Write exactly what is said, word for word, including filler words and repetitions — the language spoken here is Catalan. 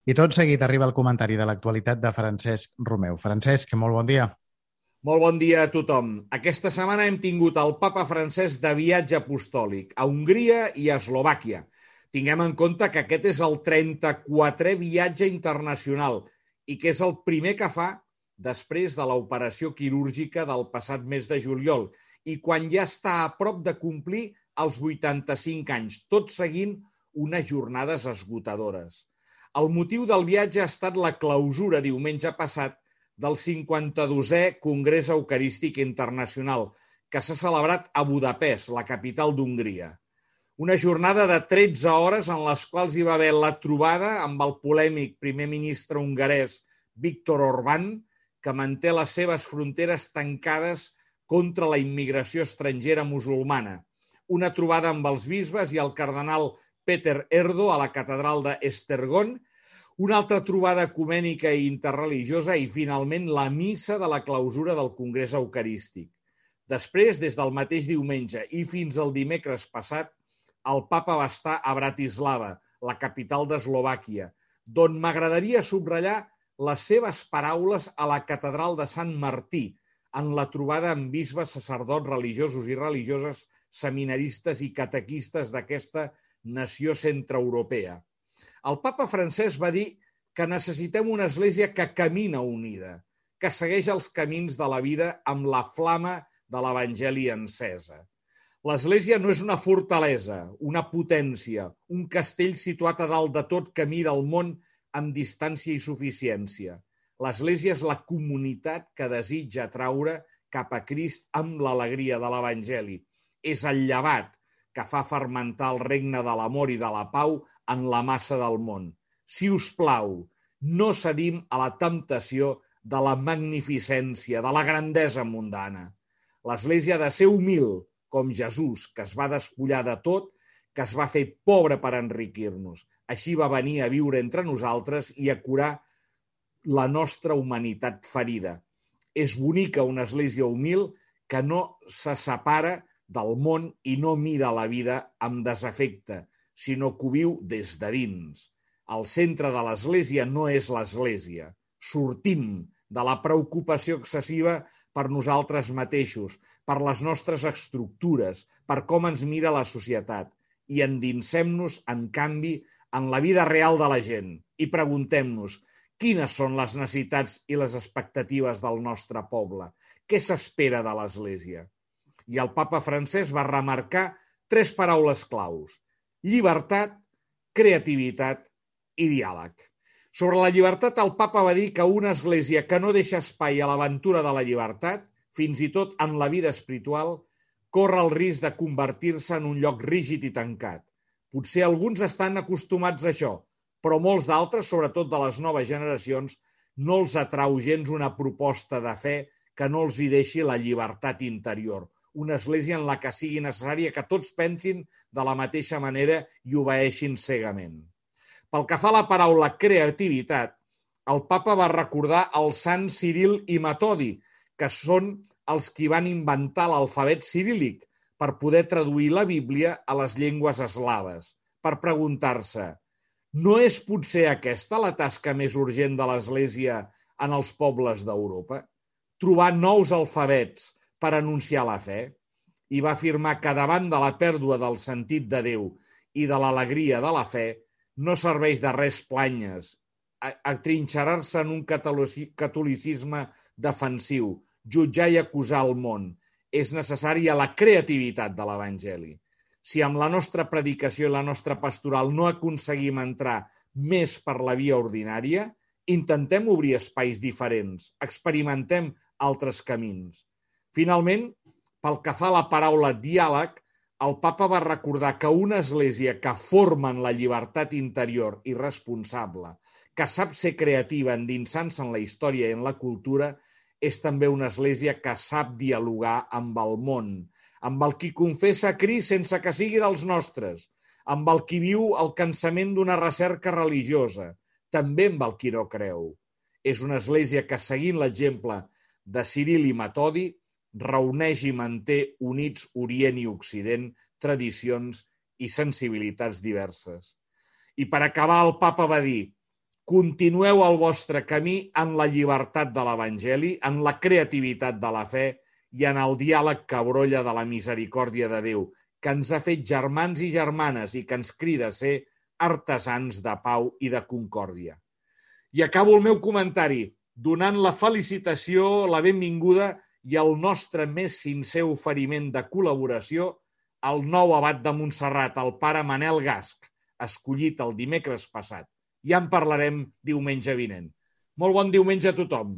I tot seguit arriba el comentari de l'actualitat de Francesc Romeu. Francesc, molt bon dia. Molt bon dia a tothom. Aquesta setmana hem tingut el papa Francesc de viatge apostòlic a Hongria i a Eslovàquia. Tinguem en compte que aquest és el trenta-quatrè viatge internacional i que és el primer que fa després de l'operació quirúrgica del passat mes de juliol i quan ja està a prop de complir els vuitanta-cinc anys, tot seguint unes jornades esgotadores. El motiu del viatge ha estat la clausura diumenge passat del cinquanta-dosè Congrés Eucarístic Internacional, que s'ha celebrat a Budapest, la capital d'Hongria. Una jornada de tretze hores en les quals hi va haver la trobada amb el polèmic primer ministre hongarès Viktor Orbán, que manté les seves fronteres tancades contra la immigració estrangera musulmana. Una trobada amb els bisbes i el cardenal Peter Erdo a la catedral d'Esztergom, una altra trobada ecumènica i interreligiosa i, finalment, la missa de la clausura del Congrés Eucarístic. Després, des del mateix diumenge i fins al dimecres passat, el papa va estar a Bratislava, la capital d'Eslovàquia, d'on m'agradaria subratllar les seves paraules a la catedral de Sant Martí, en la trobada amb bisbes, sacerdots, religiosos i religioses, seminaristes i catequistes d'aquesta nació centreeuropea. El papa Francesc va dir que necessitem una església que camina unida, que segueix els camins de la vida amb la flama de l'Evangeli encesa. L'església no és una fortalesa, una potència, un castell situat a dalt de tot que mira el món amb distància i suficiència. L'església és la comunitat que desitja atraure cap a Crist amb l'alegria de l'Evangeli. És el llevat que fa fermentar el regne de l'amor i de la pau en la massa del món. Si us plau, no cedim a la temptació de la magnificència, de la grandesa mundana. L'Església ha de ser humil, com Jesús, que es va despullar de tot, que es va fer pobre per enriquir-nos. Així va venir a viure entre nosaltres i a curar la nostra humanitat ferida. És bonica una església humil que no se separa del món i no mira la vida amb desafecte, sinó que ho viu des de dins. El centre de l'església no és l'església. Sortim de la preocupació excessiva per nosaltres mateixos, per les nostres estructures, per com ens mira la societat i endinsem-nos, en canvi, en la vida real de la gent i preguntem-nos quines són les necessitats i les expectatives del nostre poble, què s'espera de l'Església. I el papa Francesc va remarcar tres paraules claus: llibertat, creativitat i diàleg. Sobre la llibertat, el papa va dir que una església que no deixa espai a l'aventura de la llibertat, fins i tot en la vida espiritual, corre el risc de convertir-se en un lloc rígid i tancat. Potser alguns estan acostumats a això, però molts d'altres, sobretot de les noves generacions, no els atrau gens una proposta de fe que no els hi deixi la llibertat interior. Una església en la que sigui necessària que tots pensin de la mateixa manera i obeeixin cegament. Pel que fa a la paraula creativitat, el papa va recordar el sant Ciril i Metodi, que són els qui van inventar l'alfabet ciríl·lic per poder traduir la Bíblia a les llengües eslaves, per preguntar-se: no és potser aquesta la tasca més urgent de l'Església en els pobles d'Europa? Trobar nous alfabets per anunciar la fe? I va afirmar que davant de la pèrdua del sentit de Déu i de l'alegria de la fe, no serveix de res planyes, atrinxerar-se en un catolicisme defensiu, jutjar i acusar el món. És necessària la creativitat de l'Evangeli. Si amb la nostra predicació i la nostra pastoral no aconseguim entrar més per la via ordinària, intentem obrir espais diferents, experimentem altres camins. Finalment, pel que fa a la paraula diàleg, el papa va recordar que una església que forma en la llibertat interior i responsable, que sap ser creativa endinsant-se en la història i en la cultura, és també una església que sap dialogar amb el món, amb el qui confessa Crist sense que sigui dels nostres, amb el qui viu el cansament d'una recerca religiosa, també amb el qui no creu. És una església que, seguint l'exemple de Ciril i Metodi, reuneix i manté units Orient i Occident, tradicions i sensibilitats diverses. I per acabar, el papa va dir: continueu el vostre camí en la llibertat de l'Evangeli, en la creativitat de la fe i en el diàleg que brolla de la misericòrdia de Déu, que ens ha fet germans i germanes i que ens crida a ser artesans de pau i de concòrdia. I acabo el meu comentari donant la felicitació, la benvinguda i el nostre més sincer oferiment de col·laboració al nou abat de Montserrat, el pare Manel Gasc, escollit el dimecres passat. Ja en parlarem diumenge vinent. Molt bon diumenge a tothom.